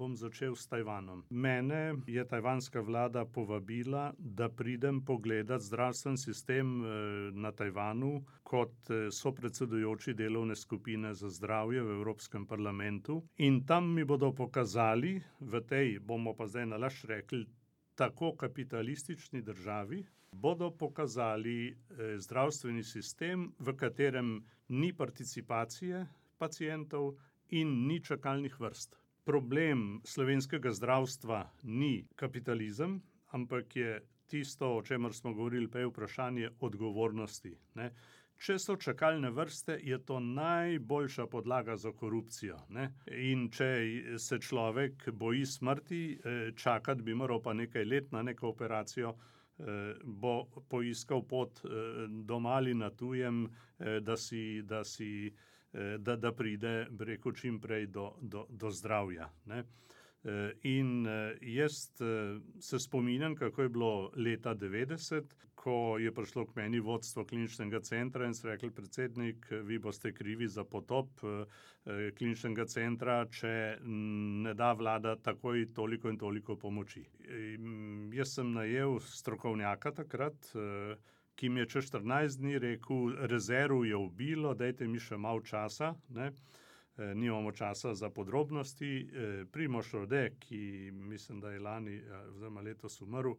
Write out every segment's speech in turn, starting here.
bom začel s Tajvanom. Mene je tajvanska vlada povabila, da pridem pogledat zdravstveni sistem na Tajvanu kot sopredsedujoči delovne skupine za zdravje v Evropskem parlamentu. In tam mi bodo pokazali, v tej, bomo pa zdaj nalašč rekli, tako kapitalistični državi, bodo pokazali zdravstveni sistem, v katerem ni participacije pacientov in ni čakalnih vrst. Problem slovenskega zdravstva ni kapitalizem, ampak je tisto, o čemer smo govorili prej, vprašanje odgovornosti, ne. Če so čakalne vrste, je to najboljša podlaga za korupcijo, ne. In če se človek boji smrti, čakati bi moral pa nekaj let na neko operacijo, bo poiskal pot doma ali na tujem, da pride, bi rekel, čim prej do zdravja, ne. In jaz se spominjam, kako je bilo leta 90, ko je prišlo k meni vodstvo kliničnega centra in so rekli: predsednik, vi boste krivi za potop kliničnega centra, če ne da vlada takoj toliko in toliko pomoči. Jaz sem najel strokovnjaka takrat, ki mi je čez 14 dni rekel: rezerv je ubilo, dajte mi še malo časa, ne. Nimamo časa za podrobnosti. Primož Rode, ki mislim, da je lani oziroma letos umrl,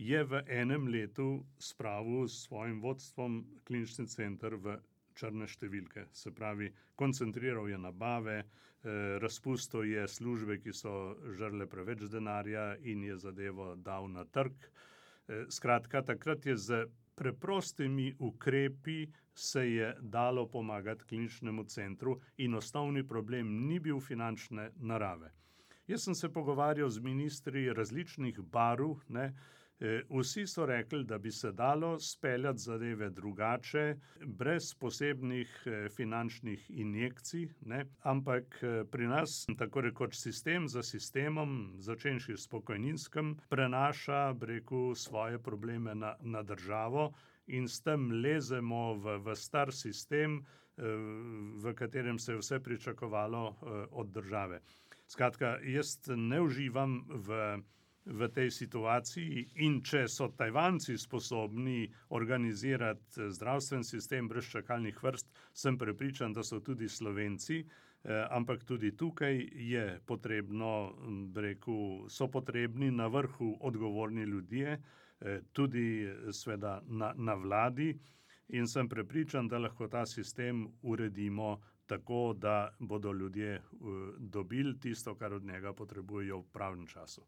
je v enem letu spravil s svojim vodstvom klinični center v črne številke. Se pravi, koncentriral je nabave, razpustil je službe, ki so žrle preveč denarja in je zadevo dal na trg. Skratka, takrat je z preprostimi ukrepi se je dalo pomagati kliničnemu centru in osnovni problem ni bil finančne narave. Jaz sem se pogovarjal z ministri različnih barv, ne. Vsi so rekli, da bi se dalo speljati zadeve drugače, brez posebnih finančnih injekcij, ne, ampak pri nas tako rekoč sistem za sistemom, začenši s pokojninskim, prenaša, bi rekel, svoje probleme na državo in s tem lezemo v star sistem, v katerem se je vse pričakovalo od države. Skratka, jaz ne uživam v tej situaciji in če so Tajvanci sposobni organizirati zdravstveni sistem brez čakalnih vrst, sem prepričan, da so tudi Slovenci, ampak tudi tukaj je potrebno, bi rekel, so potrebni na vrhu odgovorni ljudje, tudi seveda na vladi, in sem prepričan, da lahko ta sistem uredimo tako, da bodo ljudje dobili tisto, kar od njega potrebujejo v pravem času.